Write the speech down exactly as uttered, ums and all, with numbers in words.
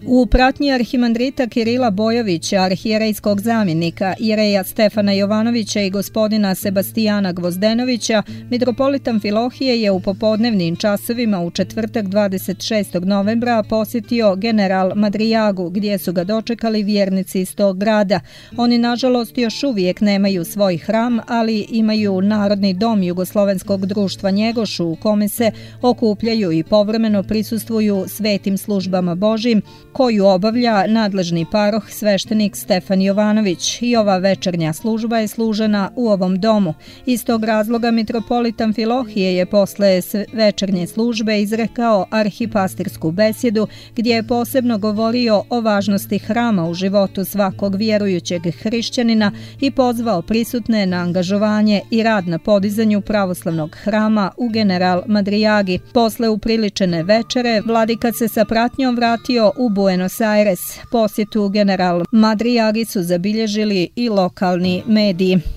U pratnji arhimandrita Kirila Bojovića, arhijerejskog zamjenika, jereja Stefana Jovanovića i gospodina Sebastijana Gvozdenovića, mitropolitan Filohije je u popodnevnim časovima u četvrtak dvadeset šestog novembra posjetio general Madrijagu, gdje su ga dočekali vjernici iz tog grada. Oni, nažalost, još uvijek nemaju svoj hram, ali imaju Narodni dom Jugoslovenskog društva Njegoš, u kome se okupljaju i povremeno prisustvuju svetim službama Božjim, koju obavlja nadležni paroh sveštenik Stefan Jovanović, i ova večernja služba je služena u ovom domu. Iz tog razloga mitropolitan Filohije je posle večernje službe izrekao arhipastirsku besjedu, gdje je posebno govorio o važnosti hrama u životu svakog vjerujućeg hrišćanina i pozvao prisutne na angažovanje i rad na podizanju pravoslavnog hrama u General Madrijagi. Posle upriličene večere, vladika se sa pratnjom vratio u Buenos Aires. Posjetu General Madrijagi su zabilježili i lokalni mediji.